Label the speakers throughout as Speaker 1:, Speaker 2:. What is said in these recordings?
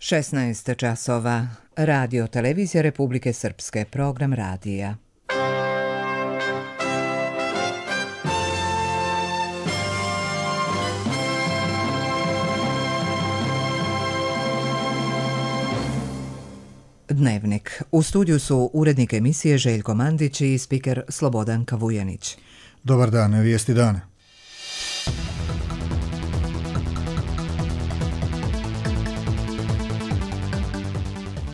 Speaker 1: 16 časova. Radio Televizija Republike Srpske. Program radija. Dnevnik. U studiju su urednik emisije Željko Mandić i spiker Slobodan Kavujanić.
Speaker 2: Dobar dan, vijesti dana.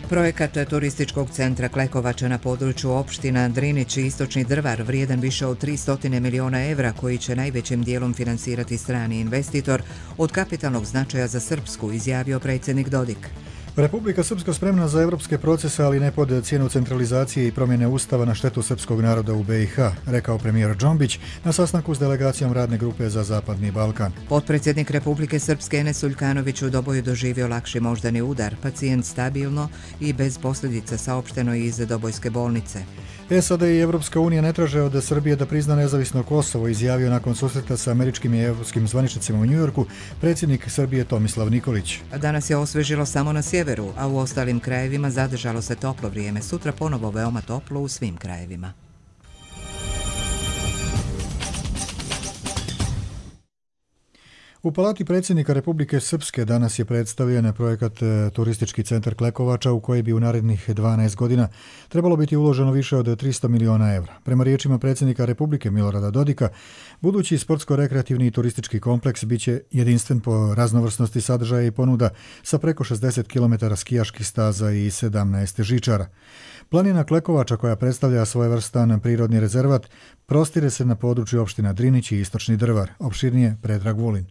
Speaker 1: Projekat turističkog centra Klekovača na području opština Drinić i Istočni Drvar vrijedan više od 300 miliona evra koji će najvećim dijelom finansirati strani investitor od kapitalnog značaja za Srpsku, izjavio predsjednik Dodik.
Speaker 2: Republika Srpska spremna za evropske procese, ali ne pod cijenu centralizacije i promjene ustava na štetu srpskog naroda u BiH, rekao premijer Džombić na sastanku s delegacijom radne grupe za Zapadni Balkan.
Speaker 1: Potpredsjednik Republike Srpske Enes Uljkanović u Doboju doživio lakši moždani udar, pacijent stabilno i bez posljedica, saopšteno iz Dobojske bolnice.
Speaker 2: SAD i Evropska unija ne traže od Srbije da prizna nezavisno Kosovo, izjavio nakon susreta sa američkim i evropskim zvaničnicima u Njujorku predsjednik Srbije Tomislav Nikolić.
Speaker 1: Danas je osvežilo samo na sjeveru, a u ostalim krajevima zadržalo se toplo vrijeme. Sutra ponovo veoma toplo u svim krajevima.
Speaker 2: U Palati predsjednika Republike Srpske danas je predstavljen projekat Turistički centar Klekovača u koji bi u narednih 12 godina trebalo biti uloženo više od 300 miliona evra. Prema riječima predsjednika Republike Milorada Dodika, budući sportsko-rekreativni i turistički kompleks biće jedinstven po raznovrsnosti sadržaja i ponuda sa preko 60 km skijaških staza i 17 žičara. Planina Klekovača, koja predstavlja svojevrstan prirodni rezervat, prostire se na području opština Drinić i Istočni Drvar. Opširnije Predrag Vulin.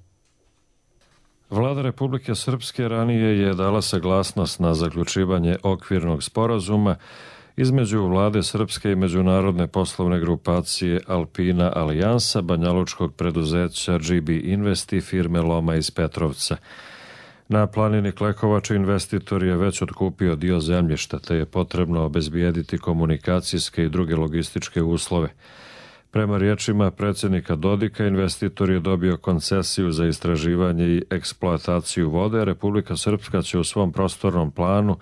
Speaker 3: Vlada Republike Srpske ranije je dala saglasnost na zaključivanje okvirnog sporazuma između Vlade Srpske i međunarodne poslovne grupacije Alpina Alijansa, banjalučkog preduzeća GB Invest i firme Loma iz Petrovca. Na planini Klekovača investitor je već otkupio dio zemljišta, te je potrebno obezbijediti komunikacijske i druge logističke uslove. Prema riječima predsjednika Dodika, investitor je dobio koncesiju za istraživanje i eksploataciju vode. Republika Srpska će u svom prostornom planu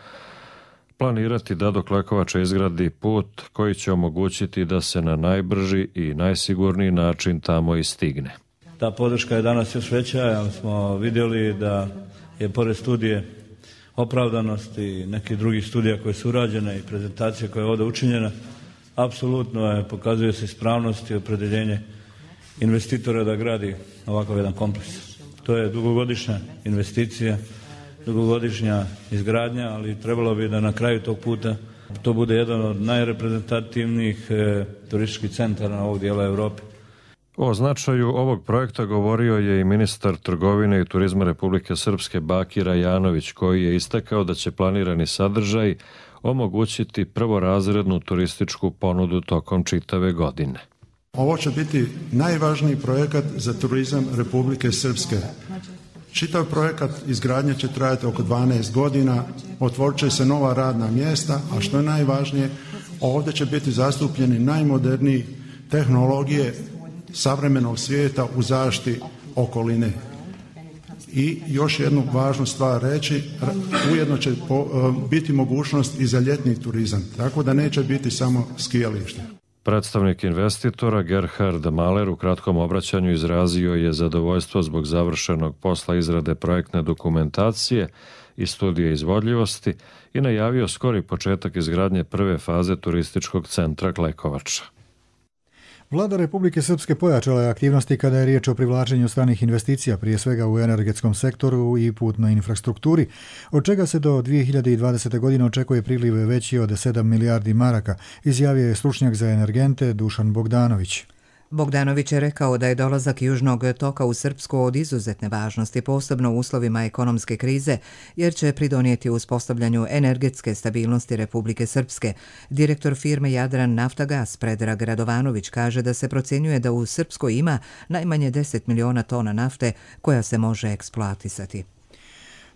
Speaker 3: planirati da do Klekovača izgradi put koji će omogućiti da se na najbrži i najsigurniji način tamo i stigne.
Speaker 4: Ta podrška je danas još veća, jer smo vidjeli da je pored studije opravdanosti i nekih drugih studija koje su urađene i prezentacije koja je ovdje učinjena, apsolutno pokazuje se ispravnost i opredjeljenje investitora da gradi ovakav jedan kompleks. To je dugogodišnja investicija, dugogodišnja izgradnja, ali trebalo bi da na kraju tog puta to bude jedan od najreprezentativnijih turističkih centara ovog dijela Europe.
Speaker 3: O značaju ovog projekta govorio je i ministar trgovine i turizma Republike Srpske Bakir Ajanović, koji je istakao da će planirani sadržaj omogućiti prvorazrednu turističku ponudu tokom čitave godine.
Speaker 5: Ovo će biti najvažniji projekat za turizam Republike Srpske. Čitav projekat izgradnje će trajati oko 12 godina, otvorit će se nova radna mjesta, a što je najvažnije, ovdje će biti zastupljeni najmoderniji tehnologije savremenog svijeta u zaštiti okoline. I još jednu važnu stvar reći, ujedno će biti mogućnost i za ljetni turizam, tako da neće biti samo skijalište.
Speaker 3: Predstavnik investitora Gerhard Mahler u kratkom obraćanju izrazio je zadovoljstvo zbog završenog posla izrade projektne dokumentacije i studije izvodljivosti i najavio skori početak izgradnje prve faze turističkog centra Klekovača.
Speaker 2: Vlada Republike Srpske pojačala je aktivnosti kada je riječ o privlačenju stranih investicija, prije svega u energetskom sektoru i putnoj infrastrukturi, od čega se do 2020. godine očekuje priliv veći od 7 milijardi maraka, izjavio je stručnjak za energente Dušan Bogdanović.
Speaker 1: Bogdanović je rekao da je dolazak Južnog toka u Srpsku od izuzetne važnosti, posebno u uslovima ekonomske krize, jer će pridonijeti uspostavljanju energetske stabilnosti Republike Srpske. Direktor firme Jadran Naftagas Predrag Radovanović kaže da se procjenjuje da u Srpskoj ima najmanje 10 miliona tona nafte koja se može eksploatisati.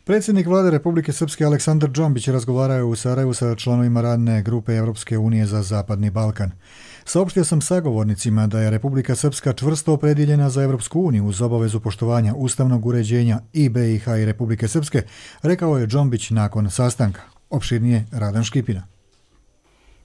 Speaker 2: Predsjednik vlade Republike Srpske Aleksandar Džombić razgovarao je u Sarajevu sa članovima radne grupe Europske unije za Zapadni Balkan. Saopštio sam sagovornicima da je Republika Srpska čvrsto opredjeljena za Europsku uniju uz obavezu poštovanja ustavnog uređenja i BiH i Republike Srpske, rekao je Džombić nakon sastanka. Opširnije Radan Škipina.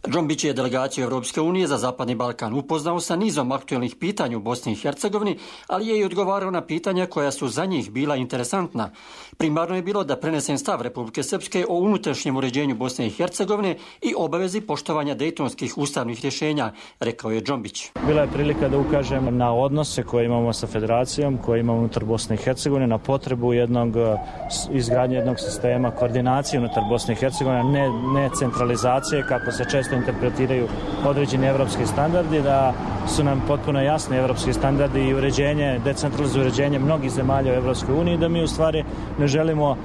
Speaker 6: Džombić je delegaciju Europske unije za Zapadni Balkan upoznao sa nizom aktuelnih pitanja u Bosni i Hercegovini, ali je i odgovarao na pitanja koja su za njih bila interesantna. Primarno je bilo da prenesen stav Republike Srpske o unutrašnjem uređenju Bosne i Hercegovine i obavezi poštovanja dejtonskih ustavnih rješenja, rekao je Džombić.
Speaker 7: Bila je prilika da ukažem na odnose koje imamo sa federacijom, koje imamo unutar Bosne i Hercegovine, na potrebu izgradnje jednog sistema koordinacije unutar Bosne i Hercegovine, ne centralizacije kako se često interpretiraju određeni evropski standardi, da su nam potpuno jasni evropski standardi i uređenje, decentralizuje uređenje mnogih zemalja u Evropskoj uniji, da mi u stvari ne želimo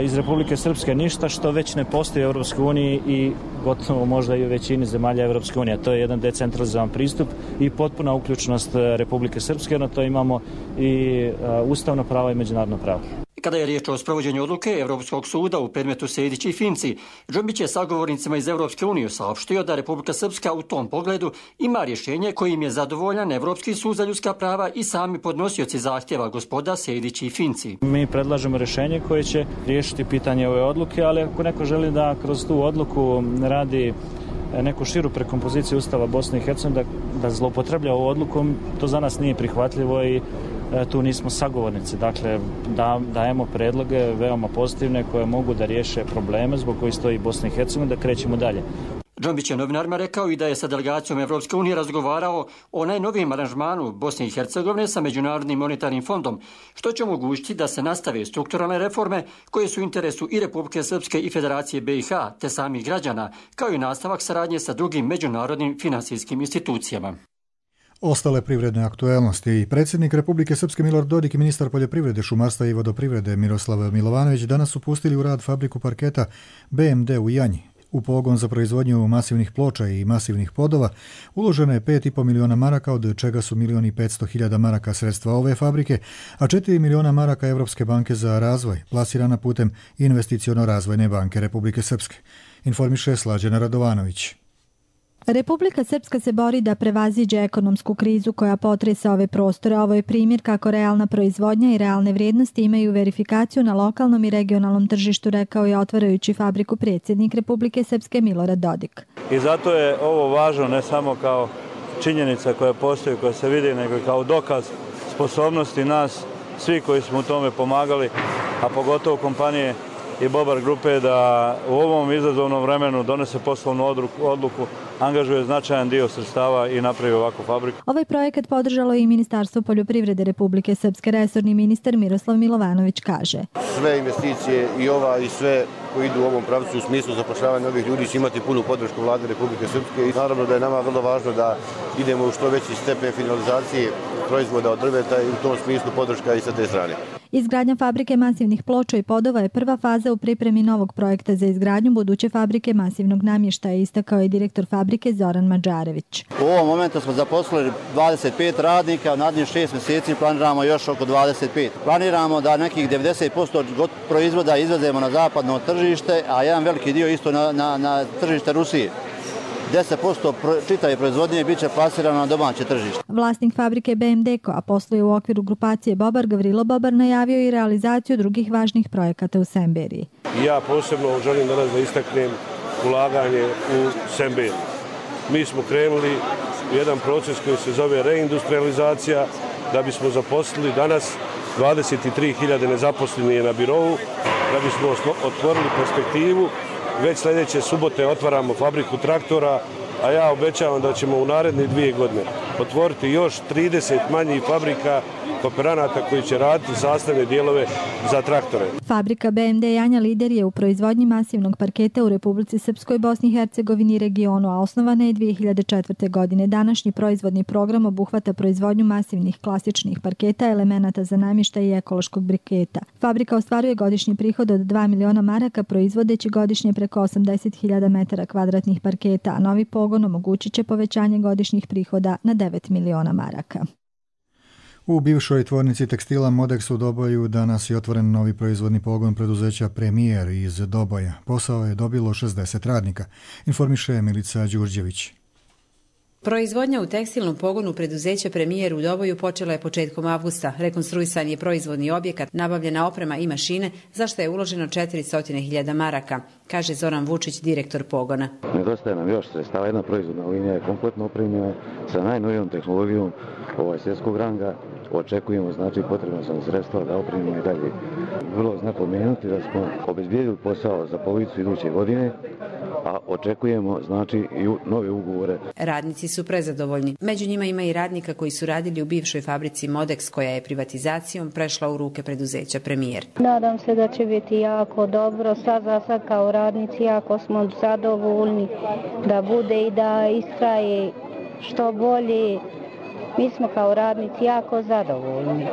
Speaker 7: iz Republike Srpske ništa što već ne postoji u Evropskoj uniji i gotovo možda i u većini zemalja Evropske unije. To je jedan decentralizovan pristup i potpuna uključenost Republike Srpske, na to imamo i ustavno pravo i međunarodno pravo.
Speaker 6: Kada je riječ o sprovođenju odluke Europskog suda u predmetu Sejdić i Finci, Džombić je sagovornicima iz Europske unije saopštio da Republika Srpska u tom pogledu ima rješenje kojim je zadovoljan Evropski sud za ljudska prava i sami podnosioci zahtjeva gospoda Sejdić i Finci.
Speaker 7: Mi predlažemo rješenje koje će riješiti pitanje ove odluke, ali ako neko želi da kroz tu odluku radi neku širu prekompoziciju Ustava Bosne i Hercegovine, da zloupotreblja ovu odluku, to za nas nije prihvatljivo i tu nismo sagovornici. Dakle, dajemo predloge veoma pozitivne koje mogu da riješe probleme zbog kojih stoji Bosna i Hercegovina, da krećemo dalje.
Speaker 6: Džombić je novinarima rekao i da je sa delegacijom Evropske unije razgovarao o najnovijem aranžmanu Bosne i Hercegovine sa Međunarodnim monetarnim fondom, što će omogućiti da se nastave strukturalne reforme koje su u interesu i Republike Srpske i Federacije BiH, te samih građana, kao i nastavak saradnje sa drugim međunarodnim finansijskim institucijama.
Speaker 2: Ostale privredne aktuelnosti. Predsjednik Republike Srpske Milorad Dodik i ministar poljoprivrede, šumarstva i vodoprivrede Miroslav Milovanović danas su pustili u rad fabriku parketa BMD u Janji. U pogon za proizvodnju masivnih ploča i masivnih podova uloženo je 5,5 miliona maraka, od čega su 1.500.000 maraka sredstva ove fabrike, a 4 miliona maraka Evropske banke za razvoj, plasirana putem Investiciono-razvojne banke Republike Srpske. Informiše Slađana Radovanović.
Speaker 8: Republika Srpska se bori da prevaziđe ekonomsku krizu koja potresa ove prostore. Ovo je primjer kako realna proizvodnja i realne vrijednosti imaju verifikaciju na lokalnom i regionalnom tržištu, rekao je otvarajući fabriku predsjednik Republike Srpske Milorad Dodik.
Speaker 4: I zato je ovo važno ne samo kao činjenica koja postoji, koja se vidi, nego i kao dokaz sposobnosti nas, svi koji smo u tome pomagali, a pogotovo kompanije i Bobar grupe, da u ovom izazovnom vremenu donese poslovnu odluku, angažuje značajan dio sredstava i napravi ovakvu fabriku.
Speaker 8: Ovaj projekat podržalo i Ministarstvo poljoprivrede Republike Srpske. Resorni ministar Miroslav Milovanović kaže:
Speaker 9: sve investicije i ova i sve koji idu u ovom pravcu u smislu zapošljavanja novih ljudi će imati punu podršku vlade Republike Srpske i naravno da je nama vrlo važno da idemo u što veći stepen finalizacije proizvoda od drveta i u tom smislu podrška i sa te strane.
Speaker 8: Izgradnja fabrike masivnih ploča i podova je prva faza u pripremi novog projekta za izgradnju buduće fabrike masivnog namještaja, istakao je direktor fabrike Zoran Mađarević.
Speaker 10: U ovom momentu smo zaposlili 25 radnika, u narednih 6 mjeseci planiramo još oko 25. Planiramo da nekih 90% proizvoda izvezemo na zapadno tržište, a jedan veliki dio isto na tržište Rusije. 10% čitave proizvodnje bit će plasirano na domaće tržište.
Speaker 8: Vlasnik fabrike BMD, koja posluje u okviru grupacije Bobar, Gavrilo Bobar, najavio i realizaciju drugih važnih projekata u Semberiji.
Speaker 11: Ja posebno želim danas da istaknem ulaganje u Semberiju. Mi smo krenuli jedan proces koji se zove reindustrializacija, da bismo zaposlili danas 23.000 nezaposlenih na birovu, da bismo otvorili perspektivu. Već sljedeće subote otvaramo fabriku traktora, a ja obećavam da ćemo u naredne 2 godine otvoriti još 30 manjih fabrika kooperanata koji će raditi sastavne dijelove za traktore.
Speaker 8: Fabrika BMD Janja lider je u proizvodnji masivnog parketa u Republici Srpskoj, Bosni i Hercegovini i regionu, a osnovana je 2004. godine. Današnji proizvodni program obuhvata proizvodnju masivnih klasičnih parketa, elemenata za namještaj i ekološkog briketa. Fabrika ostvaruje godišnji prihod od 2 miliona maraka, proizvodeći godišnje preko 80.000 metara kvadratnih parketa, a novi pogon omogućit će povećanje godišnjih prihoda na 9 miliona maraka.
Speaker 2: U bivšoj tvornici tekstila Modex u Doboju danas je otvoren novi proizvodni pogon preduzeća Premijer iz Doboja. Posao je dobilo 60 radnika, informiše Milica Đurđević.
Speaker 12: Proizvodnja u tekstilnom pogonu preduzeća Premijer u Doboju počela je početkom avgusta. Rekonstruisan je proizvodni objekat, nabavljena oprema i mašine, za što je uloženo 400.000 maraka, kaže Zoran Vučić, direktor pogona.
Speaker 13: Nedostaje nam još sredstava, jedna proizvodna linija je kompletno opremljena sa najnovijom tehnologijom svjetskog ranga. Očekujemo, znači, potrebno sam sredstva da opremimo i dalje. Vrlo zna pomenuti da smo obezbijedili posao za polovicu iduće godine, a očekujemo, znači, i nove ugovore.
Speaker 12: Radnici su prezadovoljni. Među njima ima i radnika koji su radili u bivšoj fabrici Modex, koja je privatizacijom prešla u ruke preduzeća Premijer.
Speaker 14: Nadam se da će biti jako dobro. Za sad kao radnici jako smo zadovoljni da bude i da istraje što bolje. Mi smo kao radnici jako zadovoljni,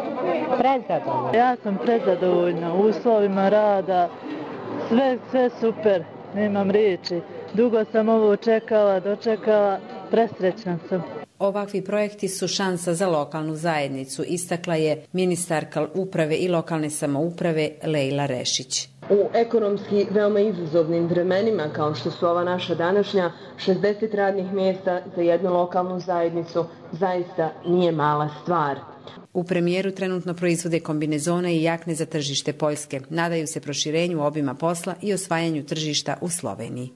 Speaker 14: prezadovoljni.
Speaker 15: Ja sam prezadovoljna uslovima rada, sve super, nemam riječi. Dugo sam ovo dočekala, presrećna sam.
Speaker 12: Ovakvi projekti su šansa za lokalnu zajednicu, istakla je ministarka uprave i lokalne samouprave Lejla Rešić.
Speaker 16: U ekonomski veoma izazovnim vremenima, kao što su ova naša današnja, 60 radnih mjesta za jednu lokalnu zajednicu zaista nije mala stvar.
Speaker 12: U Premijeru trenutno proizvode kombinezone i jakne za tržište Poljske. Nadaju se proširenju obima posla i osvajanju tržišta u Sloveniji.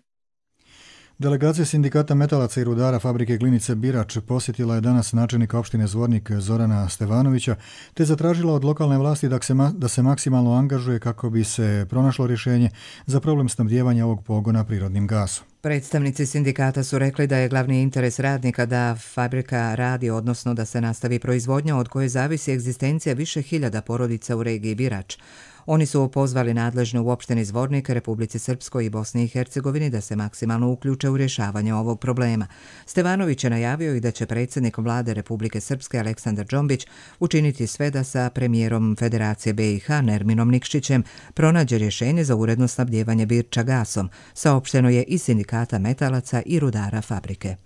Speaker 2: Delegacija sindikata metalaca i rudara fabrike Glinice Birač posjetila je danas načelnika opštine Zvornik Zorana Stevanovića te zatražila od lokalne vlasti da se maksimalno angažuje kako bi se pronašlo rješenje za problem snabdijevanja ovog pogona prirodnim gasom.
Speaker 1: Predstavnici sindikata su rekli da je glavni interes radnika da fabrika radi, odnosno da se nastavi proizvodnja od koje zavisi egzistencija više hiljada porodica u regiji Birač. Oni su pozvali nadležne u opštini Zvornik, Republici Srpskoj i Bosni i Hercegovini da se maksimalno uključe u rješavanje ovog problema. Stevanović je najavio i da će predsjednik vlade Republike Srpske Aleksandar Džombić učiniti sve da sa premijerom Federacije BiH Nerminom Nikšićem pronađe rješenje za uredno snabdijevanje Birča gasom, saopšteno je iz sindikata metalaca i rudara fabrike.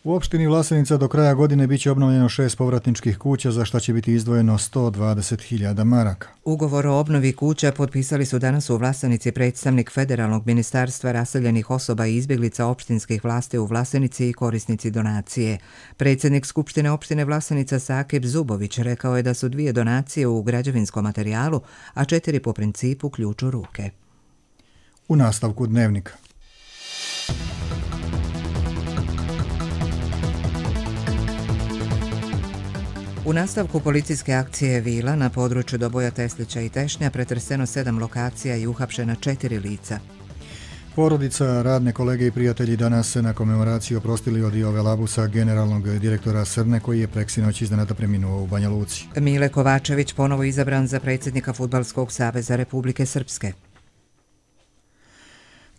Speaker 2: U opštini Vlasenica do kraja godine biće obnovljeno 6 povratničkih kuća, za šta će biti izdvojeno 120.000 maraka.
Speaker 1: Ugovor o obnovi kuća potpisali su danas u Vlasenici predstavnik Federalnog ministarstva raseljenih osoba i izbjeglica opštinskih vlasti u Vlasenici i korisnici donacije. Predsjednik Skupštine opštine Vlasenica Sakib Zubović rekao je da su 2 donacije u građevinskom materijalu, a 4 po principu ključ u ruke.
Speaker 2: U nastavku dnevnika.
Speaker 1: U nastavku policijske akcije Vila na području Doboja, Teslića i Tešnja pretreseno 7 lokacija i uhapšena 4 lica.
Speaker 2: Porodica, radne kolege i prijatelji danas se na komemoraciji oprostili od Jove Labusa, generalnog direktora Srne, koji je preksinoć iznenada preminuo u Banja Luci.
Speaker 1: Mile Kovačević ponovo izabran za predsjednika Fudbalskog saveza Republike Srpske.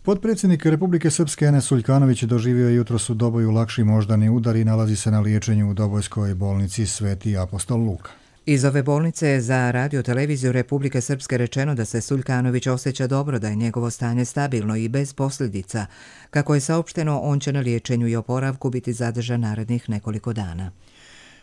Speaker 2: Potpredsjednik Republike Srpske Enes Suljkanović doživio je jutros u Doboju lakši moždani udar i nalazi se na liječenju u Dobojskoj bolnici Sveti apostol Luka.
Speaker 1: Iz ove bolnice je za radio-televiziju Republike Srpske rečeno da se Suljkanović osjeća dobro, da je njegovo stanje stabilno i bez posljedica. Kako je saopšteno, on će na liječenju i oporavku biti zadržan narednih nekoliko dana.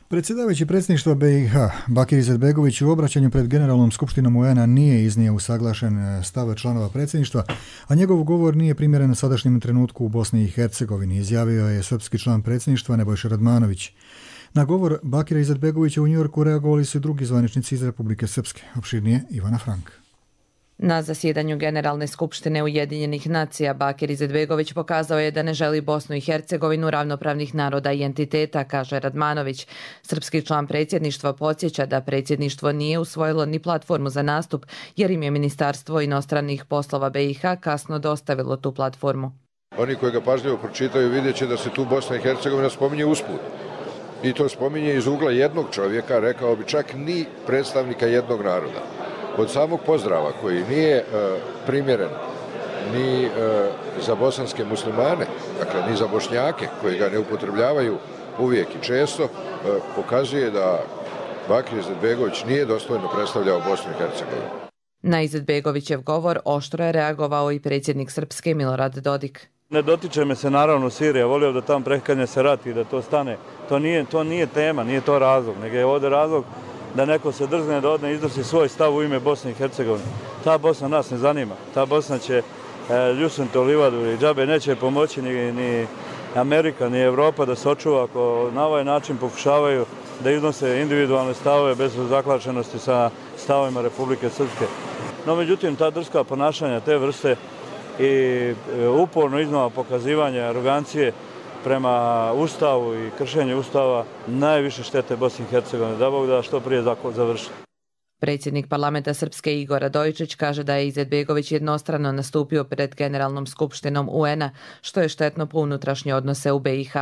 Speaker 2: Predsjedavajući predsjedništva BiH Bakir Izetbegović u obraćanju pred Generalnom skupštinom UN-a nije iznio usaglašen stav članova predsjedništva, a njegov govor nije primjeren sadašnjem trenutku u Bosni i Hercegovini, izjavio je srpski član predsjedništva Nebojša Radmanović. Na govor Bakira Izetbegovića u Njujorku reagovali su drugi zvaničnici iz Republike Srpske, opširnije Ivana Frank.
Speaker 17: Na zasjedanju Generalne skupštine Ujedinjenih nacija Bakir Izetbegović pokazao je da ne želi Bosnu i Hercegovinu ravnopravnih naroda i entiteta, kaže Radmanović. Srpski član predsjedništva podsjeća da predsjedništvo nije usvojilo ni platformu za nastup, jer im je Ministarstvo inostranih poslova BiH kasno dostavilo tu platformu.
Speaker 18: Oni koji ga pažljivo pročitaju vidjet će da se tu Bosna i Hercegovina spominje usput. I to spominje iz ugla jednog čovjeka, rekao bi čak ni predstavnika jednog naroda. Od samog pozdrava koji nije primjeren ni za bosanske muslimane, dakle ni za Bošnjake koji ga ne upotrebljavaju uvijek i često, pokazuje da Bakir Izetbegović nije dostojno predstavljao Bosnu i Hercegovinu.
Speaker 17: Na Izetbegovićev govor oštro je reagovao i predsjednik Srpske Milorad Dodik.
Speaker 4: Ne dotiče me se naravno Sirija, volio da tamo prekanje se rat i da to stane. To nije tema, nije to razlog, nego je ovdje razlog da neko se drzne da odne iznosi svoj stav u ime Bosne i Hercegovine. Ta Bosna nas ne zanima. Ta Bosna će ljusnuti u livadu i džabe neće pomoći ni Amerika, ni Evropa da se očuva ako na ovaj način pokušavaju da iznose individualne stavove bez zaklačenosti sa stavovima Republike Srpske. No, međutim, ta drska ponašanja te vrste i uporno iznova pokazivanje arogancije prema Ustavu i kršenju Ustava najviše štete Bosni i Hercegovine. Da Bog da što prije završi.
Speaker 17: Predsjednik parlamenta Srpske Igor Radojičić kaže da je Izetbegović jednostrano nastupio pred Generalnom skupštinom UN-a, što je štetno po unutrašnje odnose u BiH.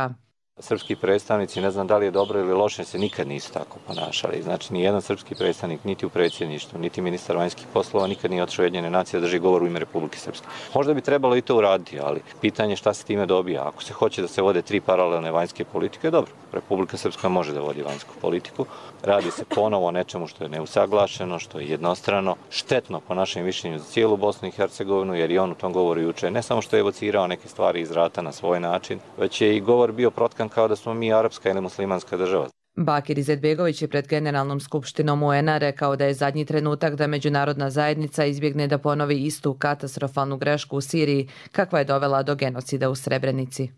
Speaker 19: Srpski predstavnici, ne znam da li je dobro ili loše, se nikad nisu tako ponašali. Znači, ni jedan srpski predstavnik, niti u predsjedništvu, niti ministar vanjskih poslova, nikad nije otišao Ujedinjene nacije da drži govor u ime Republike Srpske. Možda bi trebalo i to uraditi, ali pitanje šta se time dobija. Ako se hoće da se vode 3 paralelne vanjske politike, dobro, Republika Srpska može da vodi vanjsku politiku. Radi se ponovo o nečemu što je neusaglašeno, što je jednostrano, štetno po našem mišljenju za cijelu Bosnu i Hercegovinu, jer i on u tom govoru juče ne samo što je evocirao neke stvari iz rata na svoj način, već je i govor bio protkan kao da smo mi arapska ili muslimanska država.
Speaker 17: Bakir Izetbegović je pred Generalnom skupštinom UN-a rekao da je zadnji trenutak da međunarodna zajednica izbjegne da ponovi istu katastrofalnu grešku u Siriji kakva je dovela do genocida u Srebrenici.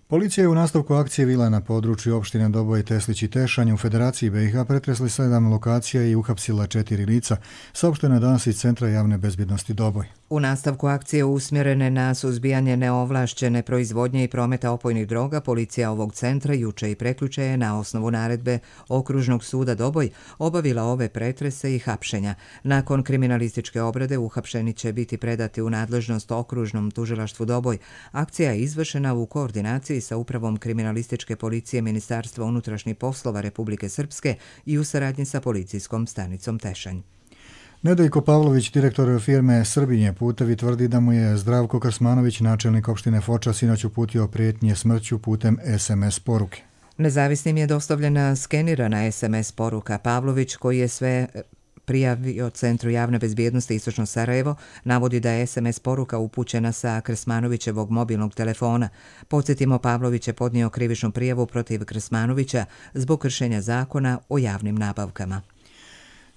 Speaker 2: Policija je u nastavku akcije vila na području opštine Doboj, Teslić i Tešanj u Federaciji BiH pretresli 7 lokacija i uhapsila 4 lica, saopšteno je danas iz Centra javne bezbjednosti Doboj.
Speaker 1: U nastavku akcije usmjerene na suzbijanje neovlašćene proizvodnje i prometa opojnih droga, policija ovog centra juče i prekjuče je na osnovu naredbe Okružnog suda Doboj obavila ove pretrese i hapšenja. Nakon kriminalističke obrade uhapšeni će biti predati u nadležnost Okružnom tužilaštvu Doboj. Akcija je izvršena u koordinaciji sa Upravom kriminalističke policije Ministarstva unutrašnjih poslova Republike Srpske i u saradnji sa policijskom stanicom Tešanj.
Speaker 2: Nedeljko Pavlović, direktor firme Srbinje putevi, tvrdi da mu je Zdravko Krsmanović, načelnik opštine Foča, sinoć uputio prijetnje smrću putem SMS poruke.
Speaker 1: Nezavisnim je dostavljena skenirana SMS poruka. Pavlović, koji je sve prijavio Centru javne bezbjednosti Istočno Sarajevo, navodi da je SMS poruka upućena sa Krsmanovićevog mobilnog telefona. Podsjetimo, Pavlović je podnio krivičnu prijavu protiv Krsmanovića zbog kršenja zakona o javnim nabavkama.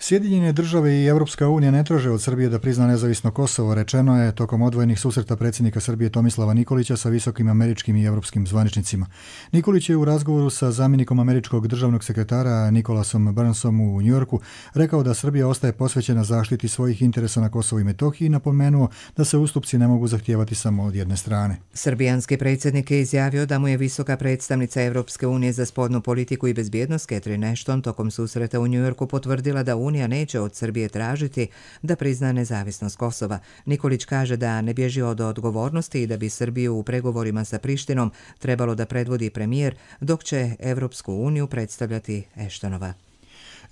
Speaker 2: Sjedinjene države i Europska unija ne traže od Srbije da prizna nezavisno Kosovo, rečeno je tokom odvojenih susreta predsjednika Srbije Tomislava Nikolića sa visokim američkim i europskim zvaničnicima. Nikolić je u razgovoru sa zamjenikom američkog državnog sekretara Nikolasom Burnsom u Njujorku rekao da Srbija ostaje posvećena zaštiti svojih interesa na Kosovu i Metohiji i napomenuo da se ustupci ne mogu zahtijevati samo od jedne strane.
Speaker 1: Srbijanski predsjednik je izjavio da mu je visoka predstavnica Europske unije za spoljnu politiku i bezbjednost Catherine Ashton tokom susreta u Njujorku potvrdila da Unija neće od Srbije tražiti da prizna nezavisnost Kosova. Nikolić kaže da ne bježi od odgovornosti i da bi Srbiju u pregovorima sa Prištinom trebalo da predvodi premijer, dok će Evropsku uniju predstavljati Ashtonova.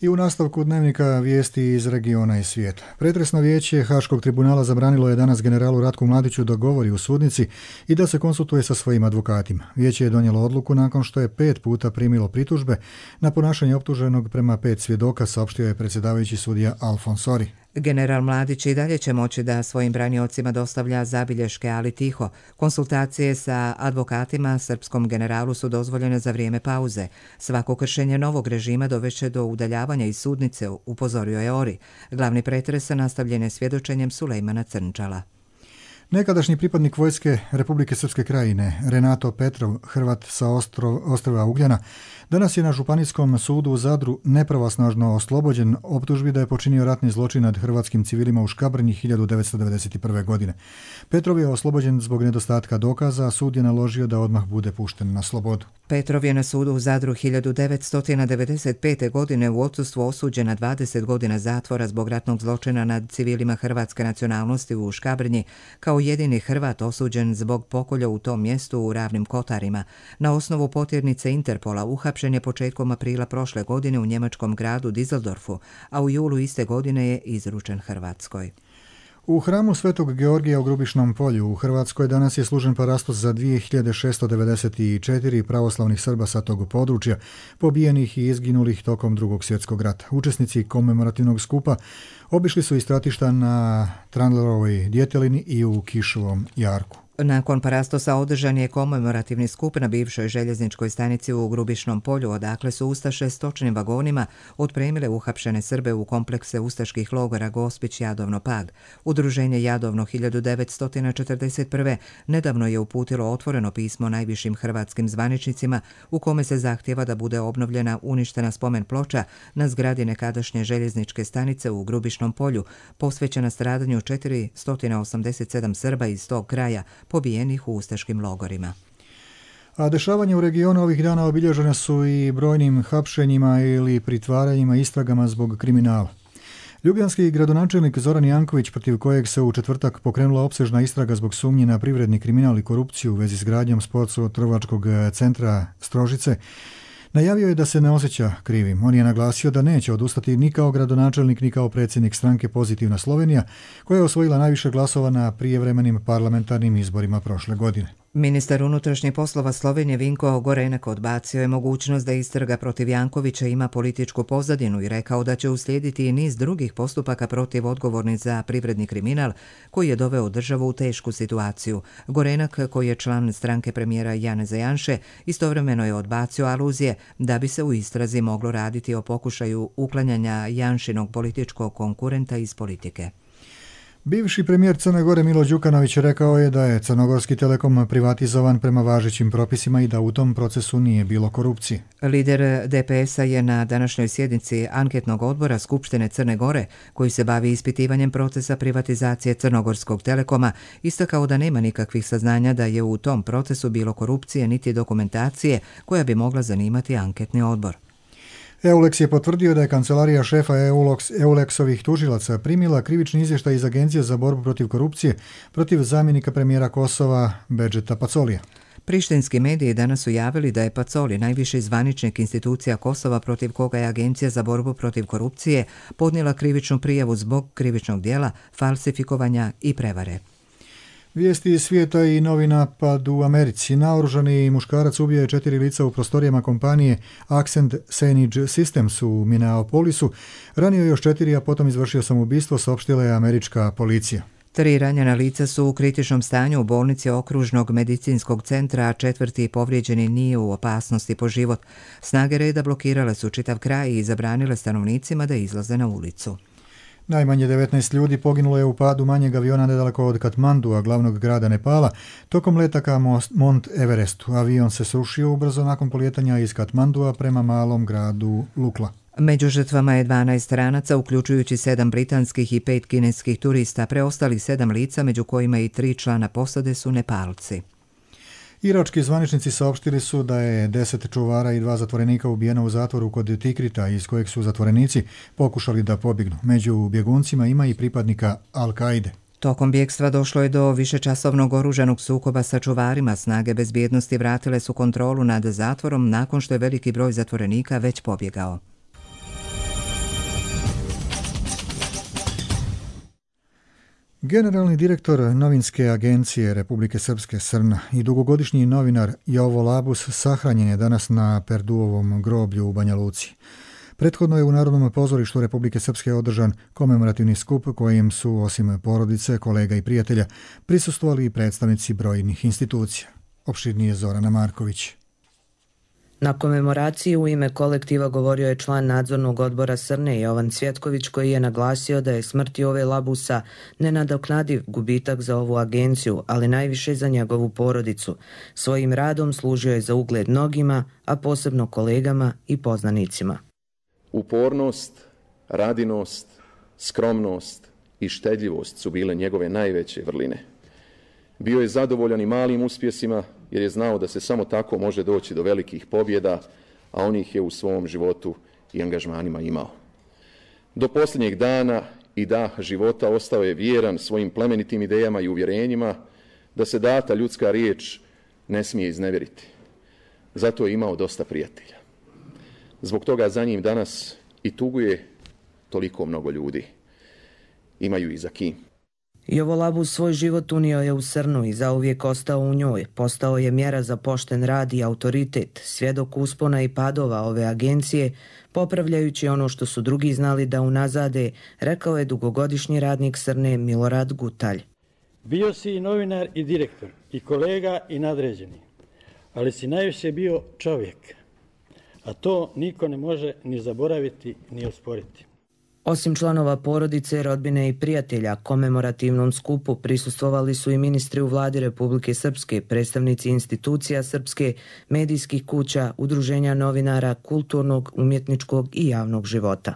Speaker 2: I u nastavku dnevnika vijesti iz regiona i svijeta. Pretresno vijeće Haškog tribunala zabranilo je danas generalu Ratku Mladiću da govori u sudnici i da se konsultuje sa svojim advokatima. Vijeće je donijelo odluku nakon što je 5 puta primilo pritužbe na ponašanje optuženog prema 5 svjedoka, saopštio je predsjedavajući sudija Alfons Sori.
Speaker 1: General Mladić i dalje će moći da svojim braniocima dostavlja zabilješke, ali tiho. Konsultacije sa advokatima srpskom generalu su dozvoljene za vrijeme pauze. Svako kršenje novog režima dovešće do udaljavanja iz sudnice, upozorio je Ori. Glavni pretres nastavljen je svjedočenjem Sulejmana Crnčala.
Speaker 2: Nekadašnji pripadnik vojske Republike Srpske krajine, Renato Petrov, Hrvat sa ostrva Ugljana, danas je na Županijskom sudu u Zadru nepravosnažno oslobođen optužbi da je počinio ratni zločin nad hrvatskim civilima u Škabrnji 1991. godine. Petrov je oslobođen zbog nedostatka dokaza, a sud je naložio da odmah bude pušten na slobodu.
Speaker 1: Petrov je na sudu u Zadru 1995. godine u odsustvu osuđen na 20 godina zatvora zbog ratnog zločina nad civilima hrvatske nacionalnosti u Škabrnji, kao jedini Hrvat osuđen zbog pokolja u tom mjestu u Ravnim Kotarima. Na osnovu potjernice Interpola uhapšen je početkom aprila prošle godine u njemačkom gradu Düsseldorfu, a u julu iste godine je izručen Hrvatskoj.
Speaker 2: U hramu Svetog Georgija u Grubišnom polju u Hrvatskoj danas je služen parastos za 2694 pravoslavnih Srba sa tog područja, pobijenih i izginulih tokom Drugog svjetskog rata. Učesnici komemorativnog skupa obišli su i stratišta na Trandlerovoj Djetelini i u Kišovom jarku.
Speaker 1: Nakon parastosa održan je komemorativni skup na bivšoj željezničkoj stanici u Grubišnom polju, odakle su ustaše stočnim vagonima otpremile uhapšene Srbe u komplekse ustaških logora Gospić, Jadovno, Pag. Udruženje Jadovno 1941. nedavno je uputilo otvoreno pismo najvišim hrvatskim zvaničnicima u kome se zahtjeva da bude obnovljena uništena spomen ploča na zgradi nekadašnje željezničke stanice u Grubišnom polju, posvećena stradanju 487 Srba iz tog kraja, pobijenih u ustaškim logorima.
Speaker 2: A dešavanja u regionu ovih dana obilježena su i brojnim hapšenjima ili pritvaranjima, istragama zbog kriminala. Ljubljanski gradonačelnik Zoran Janković, protiv kojeg se u četvrtak pokrenula opsežna istraga zbog sumnje na privredni kriminal i korupciju u vezi s gradnjom sportsko-trgovačkog centra Strožice, najavio je da se ne osjeća krivim. On je naglasio da neće odustati ni kao gradonačelnik ni kao predsjednik stranke Pozitivna Slovenija, koja je osvojila najviše glasova na prijevremenim parlamentarnim izborima prošle godine.
Speaker 1: Ministar unutrašnjih poslova Slovenije Vinko Gorenak odbacio je mogućnost da istraga protiv Jankovića ima političku pozadinu i rekao da će uslijediti i niz drugih postupaka protiv odgovornih za privredni kriminal koji je doveo državu u tešku situaciju. Gorenak, koji je član stranke premijera Janeza Janše, istovremeno je odbacio aluzije da bi se u istrazi moglo raditi o pokušaju uklanjanja Janšinog političkog konkurenta iz politike.
Speaker 2: Bivši premijer Crne Gore Milo Đukanović rekao je da je Crnogorski Telekom privatizovan prema važećim propisima i da u tom procesu nije bilo korupcije.
Speaker 1: Lider DPS-a je na današnjoj sjednici anketnog odbora Skupštine Crne Gore, koji se bavi ispitivanjem procesa privatizacije Crnogorskog Telekoma, istakao da nema nikakvih saznanja da je u tom procesu bilo korupcije niti dokumentacije koja bi mogla zanimati anketni odbor.
Speaker 2: EULEX je potvrdio da je kancelarija šefa EULEX-ovih tužilaca primila krivični izvještaj iz Agencije za borbu protiv korupcije protiv zamjenika premijera Kosova Bedžeta Pacolija.
Speaker 1: Prištinski mediji danas su javili da je Pacoli, najviši zvaničnik institucija Kosova protiv koga je Agencija za borbu protiv korupcije podnijela krivičnu prijavu zbog krivičnog djela, falsifikovanja i prevare.
Speaker 2: Vijesti iz svijeta i novi napad u Americi. Naoružani muškarac ubio je 4 lica u prostorijama kompanije Accent Signage Systems u Minneapolisu. Ranio još 4, a potom izvršio samoubistvo, saopštila je američka policija.
Speaker 1: 3 ranjena lica su u kritičnom stanju u bolnici okružnog medicinskog centra, a 4. povrijeđeni nije u opasnosti po život. Snage reda blokirale su čitav kraj i zabranile stanovnicima da izlaze na ulicu.
Speaker 2: Najmanje 19 ljudi poginulo je u padu manjeg aviona nedaleko od Katmandua, glavnog grada Nepala, tokom leta ka Mont Everestu. Avion se srušio ubrzo nakon polijetanja iz Katmandua prema malom gradu Lukla.
Speaker 1: Među žrtvama je 12 stranaca, uključujući 7 britanskih i 5 kineskih turista. Preostalih 7 lica, među kojima i 3 člana posade, su Nepalci.
Speaker 2: Irački zvaničnici saopštili su da je 10 čuvara i 2 zatvorenika ubijeno u zatvoru kod Tikrita, iz kojeg su zatvorenici pokušali da pobjegnu. Među bjeguncima ima i pripadnika Al-Kaide.
Speaker 1: Tokom bjegstva došlo je do višečasovnog oružanog sukoba sa čuvarima. Snage bezbjednosti vratile su kontrolu nad zatvorom nakon što je veliki broj zatvorenika već pobjegao.
Speaker 2: Generalni direktor novinske agencije Republike Srpske Srna i dugogodišnji novinar Jovo Labus sahranjen je danas na Perduovom groblju u Banja Luci. Prethodno je u Narodnom pozorištu Republike Srpske održan komemorativni skup kojim su, osim porodice, kolega i prijatelja, prisustvovali i predstavnici brojnih institucija. Opširnije Zorana Marković.
Speaker 20: Na komemoraciji u ime kolektiva govorio je član nadzornog odbora Srne Jovan Cvjetković, koji je naglasio da je smrt Jove Labusa nenadoknadiv gubitak za ovu agenciju, ali najviše za njegovu porodicu. Svojim radom služio je za ugled mnogima, a posebno kolegama i poznanicima.
Speaker 21: Upornost, radinost, skromnost i štedljivost su bile njegove najveće vrline. Bio je zadovoljan i malim uspjesima, jer je znao da se samo tako može doći do velikih pobjeda, a on ih je u svom životu i angažmanima imao. Do posljednjeg dana i daha života ostao je vjeran svojim plemenitim idejama i uvjerenjima da se data ljudska riječ ne smije iznevjeriti. Zato je imao dosta prijatelja. Zbog toga za njim danas i tuguje toliko mnogo ljudi. Imaju i za kim.
Speaker 20: Jovo Labus svoj život unio je u Srnu i zauvijek ostao u njoj. Postao je mjera za pošten rad i autoritet, svjedok uspona i padova ove agencije, popravljajući ono što su drugi znali da unazade, rekao je dugogodišnji radnik Srne Milorad Gutalj.
Speaker 5: Bio si i novinar i direktor, i kolega i nadređeni, ali si najviše bio čovjek, a to niko ne može ni zaboraviti ni osporiti.
Speaker 20: Osim članova porodice, rodbine i prijatelja, komemorativnom skupu prisustvovali su i ministri u vladi Republike Srpske, predstavnici institucija srpske, medijskih kuća, udruženja novinara, kulturnog, umjetničkog i javnog života.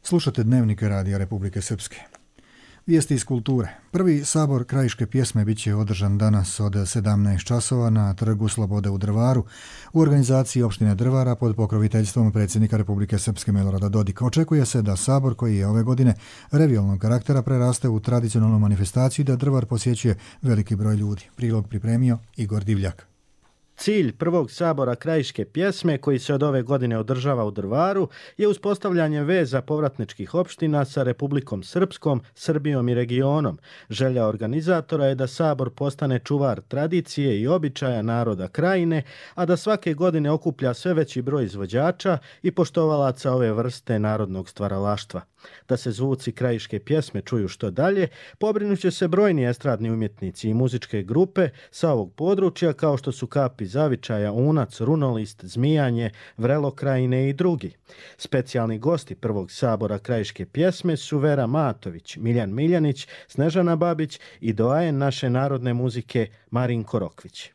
Speaker 2: Slušate Dnevnik Radija Republike Srpske. Vijesti iz kulture. Prvi sabor krajiške pjesme bit će održan danas od 17 časova na Trgu Slobode u Drvaru u organizaciji opštine Drvara pod pokroviteljstvom predsjednika Republike Srpske Milorada Dodika. Očekuje se da sabor, koji je ove godine revijalnog karaktera, preraste u tradicionalnu manifestaciju i da Drvar posjećuje veliki broj ljudi. Prilog pripremio Igor Divljak.
Speaker 22: Cilj prvog sabora krajiške pjesme, koji se od ove godine održava u Drvaru, je uspostavljanje veza povratničkih opština sa Republikom Srpskom, Srbijom i regionom. Želja organizatora je da sabor postane čuvar tradicije i običaja naroda krajine, a da svake godine okuplja sve veći broj izvođača i poštovalaca ove vrste narodnog stvaralaštva. Da se zvuci krajiške pjesme čuju što dalje, pobrinuće se brojni estradni umjetnici i muzičke grupe sa ovog područja, kao što su Kapi Zavičaja, Unac, Runolist, Zmijanje, Vrelo Krajine i drugi. Specijalni gosti prvog sabora krajiške pjesme su Vera Matović, Miljan Miljanić, Snežana Babić i doajen naše narodne muzike Marinko Rokvić.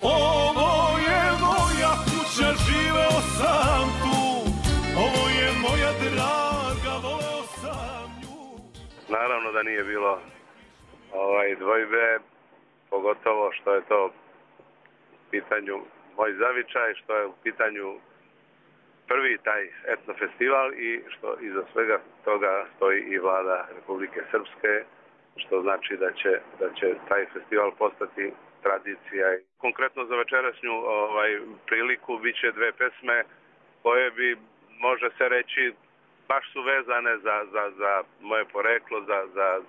Speaker 23: Ovo je moja kuća, živeo sam tu, ovo je moja draga, voleo sam nju.
Speaker 24: Naravno da nije bilo dvojbe, pogotovo što je to u pitanju moj zavičaj, što je u pitanju prvi taj etno festival i što iza svega toga stoji i vlada Republike Srpske, što znači da će taj festival postati tradicija. Konkretno za večerašnju priliku biće dve pesme koje bi, može se reći, baš su vezane za moje poreklo,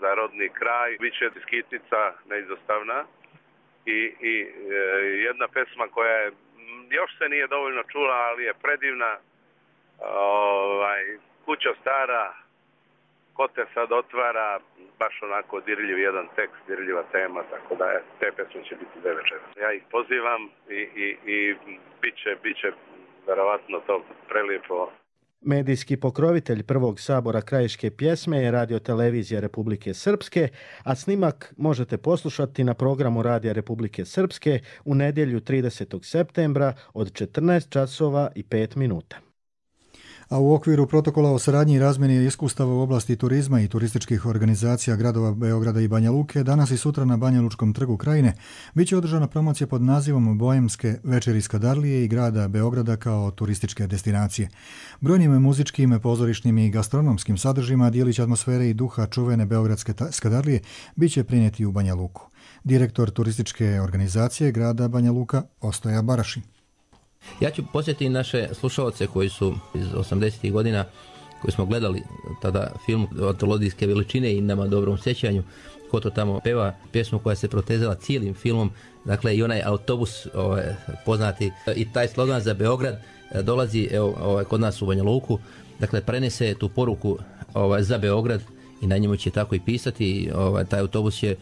Speaker 24: za rodni kraj. Biće skitnica neizostavna i jedna pesma koja je, još se nije dovoljno čula, ali je predivna. Kućo stara, ko te sad otvara, baš onako dirljiv jedan tekst, dirljiva tema, tako da te pesme će biti dve večera. Ja ih pozivam i bit će verovatno to prelijepo.
Speaker 22: Medijski pokrovitelj prvog sabora krajiške pjesme je Radio-televizija Republike Srpske, a snimak možete poslušati na programu Radija Republike Srpske u nedjelju 30. septembra od 14 časova i 5 minuta.
Speaker 2: A u okviru protokola o saradnji i razmjeni iskustava u oblasti turizma i turističkih organizacija gradova Beograda i Banja Luke, danas i sutra na Banja Lučkom trgu Krajine biće održana promocija pod nazivom Boemske večeri Skadarlije i grada Beograda kao turističke destinacije. Brojnim muzičkim, pozorišnim i gastronomskim sadržima dijelić atmosfere i duha čuvene Beogradske Skadarlije biće prinijeti u Banja Luku. Direktor turističke organizacije grada Banja Luka Ostoja Baraši.
Speaker 25: Ja ću posjetiti naše slušalce koji su iz 80. godina, koji smo gledali tada film antologijske veličine i nama dobrom sjećanju, ko to tamo peva pjesmu koja se protezala cijelim filmom, dakle i onaj autobus poznati i taj slogan za Beograd dolazi kod nas u Banja Luku, dakle prenese tu poruku za Beograd i na njemu će tako i pisati. Taj autobus će,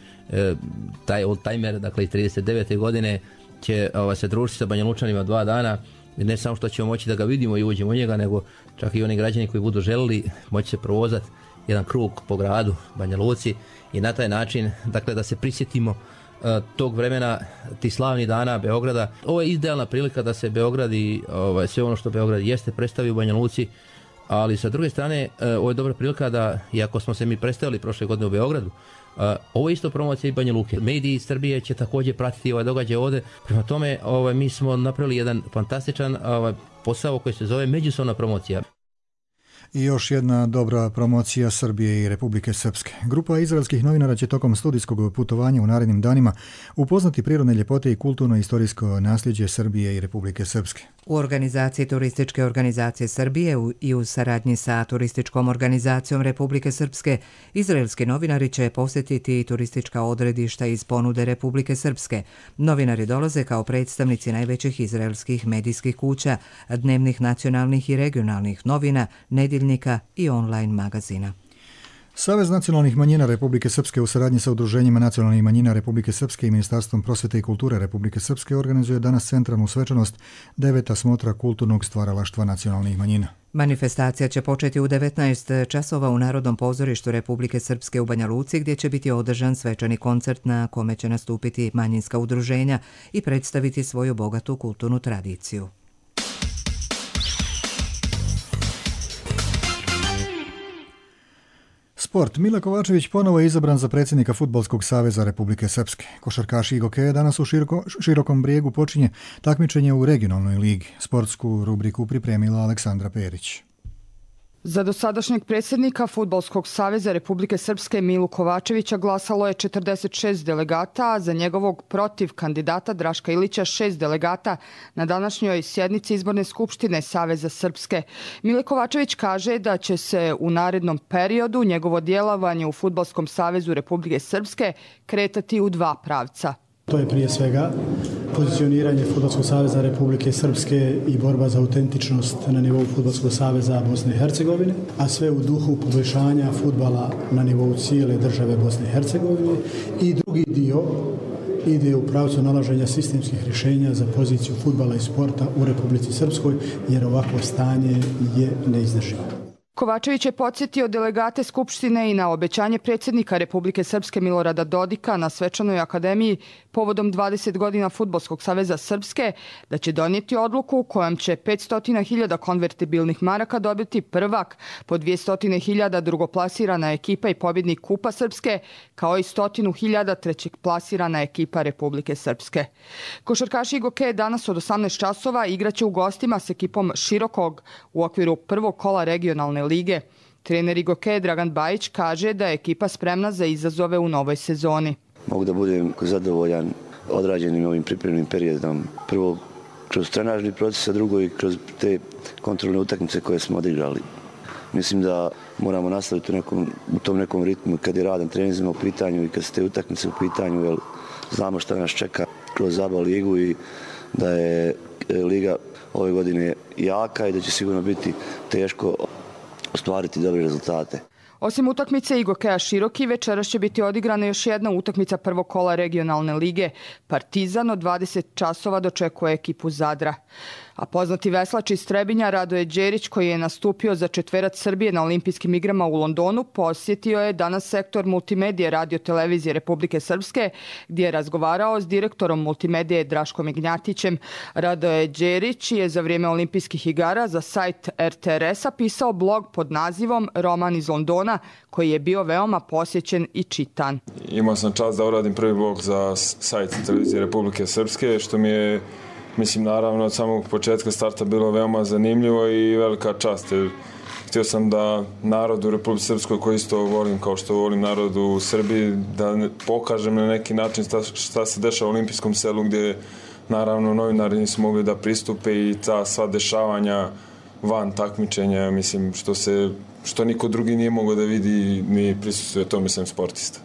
Speaker 25: taj oldtimer, dakle iz 39. godine, će se družiti sa Banja Lučanima 2 dana, ne samo što ćemo moći da ga vidimo i uđemo u njega, nego čak i oni građani koji budu želili moći se provozati jedan krug po gradu Banja Luci i na taj način, dakle, da se prisjetimo tog vremena, tih slavnih dana Beograda. Ovo je idealna prilika da se Beograd i sve ono što Beograd jeste predstavi u Banja Luci, ali sa druge strane ovo je dobra prilika da, iako smo se mi predstavili prošle godine u Beogradu, ovo je isto promocija i Banja Luke. Mediji iz Srbije će također pratiti ovaj događaj ovdje. Prema tome, mi smo napravili jedan fantastičan posao koji se zove međusobna promocija.
Speaker 2: I još jedna dobra promocija Srbije i Republike Srpske. Grupa izraelskih novinara će tokom studijskog putovanja u narednim danima upoznati prirodne ljepote i kulturno-istorijsko nasljeđe Srbije i Republike Srpske.
Speaker 1: U organizaciji Turističke organizacije Srbije i u saradnji sa Turističkom organizacijom Republike Srpske, izraelski novinari će posjetiti turistička odredišta iz ponude Republike Srpske. Novinari dolaze kao predstavnici najvećih izraelskih medijskih kuća, dnevnih nacionalnih i regionalnih novina, nedjeljnika i online magazina.
Speaker 2: Savez nacionalnih manjina Republike Srpske u saradnji sa Udruženjima nacionalnih manjina Republike Srpske i Ministarstvom prosvete i kulture Republike Srpske organizuje danas centralnu svečanost 9. smotra kulturnog stvaralaštva nacionalnih manjina.
Speaker 1: Manifestacija će početi u 19 časova u Narodnom pozorištu Republike Srpske u Banja Luci, gdje će biti održan svečani koncert na kome će nastupiti manjinska udruženja i predstaviti svoju bogatu kulturnu tradiciju.
Speaker 2: Sport. Mile Kovačević ponovo je izabran za predsjednika Fudbalskog saveza Republike Srpske. Košarkaš Igo Keja danas u Širokom Brijegu počinje takmičenje u regionalnoj ligi. Sportsku rubriku pripremila Aleksandra Perić.
Speaker 3: Za dosadašnjeg predsjednika Fudbalskog saveza Republike Srpske Milu Kovačevića glasalo je 46 delegata, a za njegovog protiv kandidata Draška Ilića 6 delegata na današnjoj sjednici Izborne skupštine Saveza Srpske. Mile Kovačević kaže da će se u narednom periodu njegovo djelovanje u Fudbalskom savezu Republike Srpske kretati u dva pravca.
Speaker 6: To je prije svega pozicioniranje Fudbalskog saveza Republike Srpske i borba za autentičnost na nivou Fudbalskog saveza Bosne i Hercegovine, a sve u duhu poboljšanja fudbala na nivou cijele države Bosne i Hercegovine. I drugi dio ide u pravcu nalaženja sistemskih rješenja za poziciju fudbala i sporta u Republici Srpskoj, jer ovakvo stanje je neizdrživo.
Speaker 3: Kovačević je podsjetio delegate Skupštine i na obećanje predsjednika Republike Srpske Milorada Dodika na svečanoj akademiji povodom 20 godina Fudbalskog saveza Srpske da će donijeti odluku kojom će 500.000 konvertibilnih maraka dobiti prvak, po 200.000 drugoplasirana ekipa i pobjednik Kupa Srpske, kao i 100.000 trećeplasirana ekipa Republike Srpske. Košarkaš Igo Keja danas od 18 časova igraće u gostima s ekipom Širokog u okviru prvog kola regionalne lige. Trener Igo Keja Dragan Bajić kaže da je ekipa spremna za izazove u novoj sezoni.
Speaker 7: Mogu da budem zadovoljan odrađenim ovim pripremnim periodom. Prvo kroz trenažni proces, a drugo i kroz te kontrolne utakmice koje smo odigrali. Mislim da moramo nastaviti u tom nekom ritmu kad je radan treninzima u pitanju i kad su te utakmice u pitanju, jer znamo šta nas čeka kroz ABA ligu i da je liga ove godine jaka i da će sigurno biti teško ostvariti dobre rezultate.
Speaker 3: Osim utakmice Igo Keja Široki, večeras će biti odigrana još jedna utakmica prvog kola regionalne lige. Partizan od 20 časova dočekuje ekipu Zadra. A poznati veslač iz Trebinja Radoje Đerić, koji je nastupio za četverac Srbije na olimpijskim igrama u Londonu, posjetio je danas sektor multimedije radio televizije Republike Srpske, gdje je razgovarao s direktorom multimedije Draškom Ignjatićem. Radoje Đerić je za vrijeme olimpijskih igara za sajt RTRS-a pisao blog pod nazivom Roman iz Londona, koji je bio veoma posjećen i čitan.
Speaker 9: Imao sam čast da uradim prvi blog za sajt televizije Republike Srpske, što mi je, mislim, naravno od samog početka starta bilo veoma zanimljivo i velika čast. Htio sam da narod u Republici Srpskoj, koji isto volim kao što volim narod u Srbiji, da pokažem na neki način šta se dešava u olimpijskom selu, gdje naravno novinari nisu mogli da pristupe i ta sva dešavanja van takmičenja, mislim, što niko drugi nije mogao da vidi ni prisustuje to, mislim, sportista.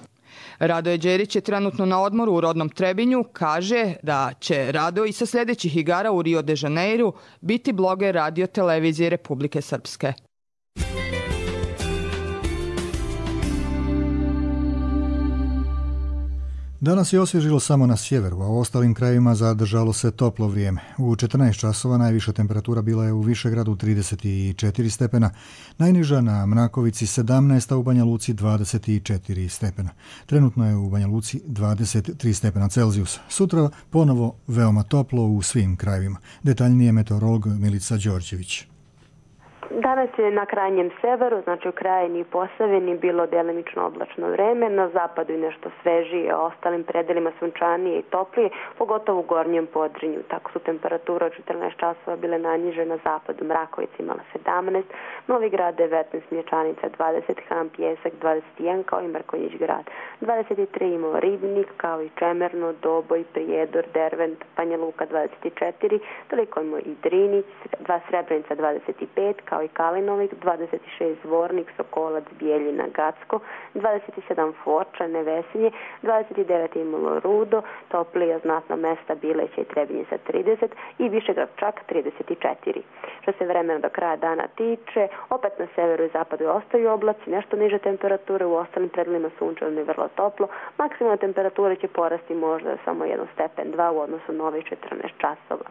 Speaker 3: Radoje Đerić je trenutno na odmoru u rodnom Trebinju, kaže da će Rado i sa sljedećih igara u Rio de Janeiru biti bloger radio televizije Republike Srpske.
Speaker 2: Danas je osvježilo samo na sjeveru, a u ostalim krajevima zadržalo se toplo vrijeme. U 14 časova najviša temperatura bila je u Višegradu 34 stepena, najniža na Mrakovici 17, a u Banja Luci 24 stepena. Trenutno je u Banja Luci 23 stepena Celzijusa. Sutra ponovo veoma toplo u svim krajevima. Detaljnije meteorolog Milica Đorđević.
Speaker 10: Danas je na krajnjem severu, znači u Krajini i Posavini, bilo delimično oblačno vreme, na zapadu i nešto svežije, a ostalim predelima sunčanije i toplije, pogotovo u gornjem Podrinju. Tako su temperature od 14 časova bile najniže na zapadu, Mrakovica imala 17, Novi Grad 19, Mlječanica 20, Han Pjesak 21, kao i Mrkonjić grad 23, imao Ribnik, kao i Čemerno, Doboj, Prijedor, Dervent, Banja Luka 24, toliko imao i Drinić, Srebrenica 25, kao i Kalinovik, 26 Zvornik, Sokolac, Bijeljina, Gacko, 27 Foča, Nevesinje, 29 Imalo, Rudo, Toplija, Znatna mesta, Bileća i Trebinje sa 30 i Višegrad čak 34. Što se vremena do kraja dana tiče, opet na severu i zapadu ostaju oblaci, nešto niže temperature, u ostalim predelima sunčano i vrlo toplo. Maksimalna temperatura će porasti možda samo 1 stepen, 2 u odnosu na ovih 14 časova.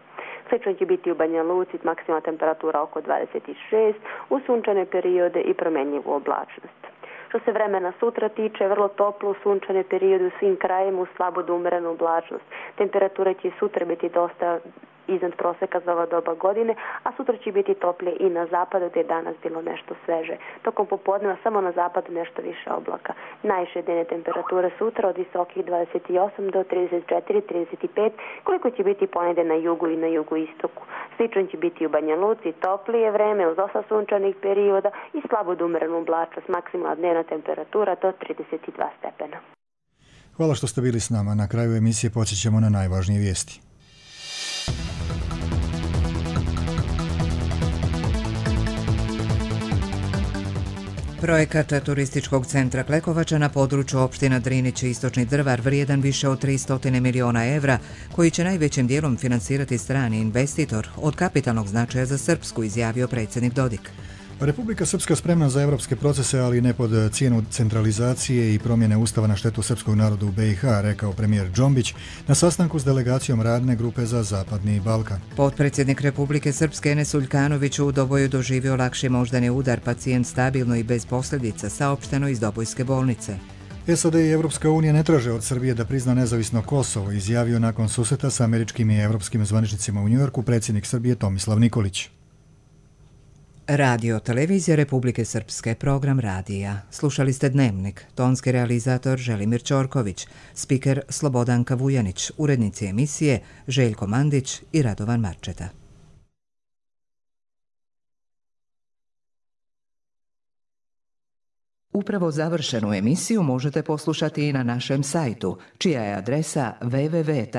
Speaker 10: Slično će biti u Banja Luci, maksimalna temperatura oko 26, u sunčane periode i promjenjivu oblačnost. Što se vremena sutra tiče, vrlo toplo u sunčane periode u svim krajima, u slabo do umerenu oblačnost. Temperatura će sutra biti dosta iznad proseka za ova doba godine, a sutra će biti toplije i na zapadu gdje je danas bilo nešto sveže. Tokom popodneva samo na zapadu nešto više oblaka. Najviše dnevne temperature sutra od visokih 28 do 34-35, koliko će biti ponedje na jugu i na jugoistoku. Slično će biti u Banja Luci, toplije vreme uz dosta sunčanih perioda i slabo do umerenu oblačnost, maksimalna dnevna temperatura do 32 stepena.
Speaker 2: Hvala što ste bili s nama. Na kraju emisije podsjećamo na najvažnije vijesti.
Speaker 1: Projekat turističkog centra Klekovača na području opština Drinić i Istočni Drvar vrijedan više od 300 miliona evra, koji će najvećim dijelom finansirati strani investitor, od kapitalnog značaja za Srpsku, izjavio predsjednik Dodik.
Speaker 2: Republika Srpska spremna za evropske procese, ali ne pod cijenu centralizacije i promjene ustava na štetu srpskog naroda u BiH, rekao premijer Džombić na sastanku s delegacijom radne grupe za Zapadni Balkan.
Speaker 1: Potpredsjednik Republike Srpske Enes Uljkanović u Doboju doživio lakši moždani udar, pacijent stabilno i bez posljedica, saopšteno iz Dobojske bolnice.
Speaker 2: SAD i Evropska unija ne traže od Srbije da prizna nezavisno Kosovo, izjavio nakon susreta sa američkim i evropskim zvaničnicima u Njujorku predsjednik Srbije Tomislav Nikolić.
Speaker 1: Radio Televizija Republike Srpske, program radija. Slušali ste Dnevnik, tonski realizator Želimir Ćorković, spiker Slobodanka Vujanić, urednici emisije Željko Mandić i Radovan Marčeta. Upravo završenu emisiju možete poslušati i na našem sajtu, čija je adresa www.rtrs.tv.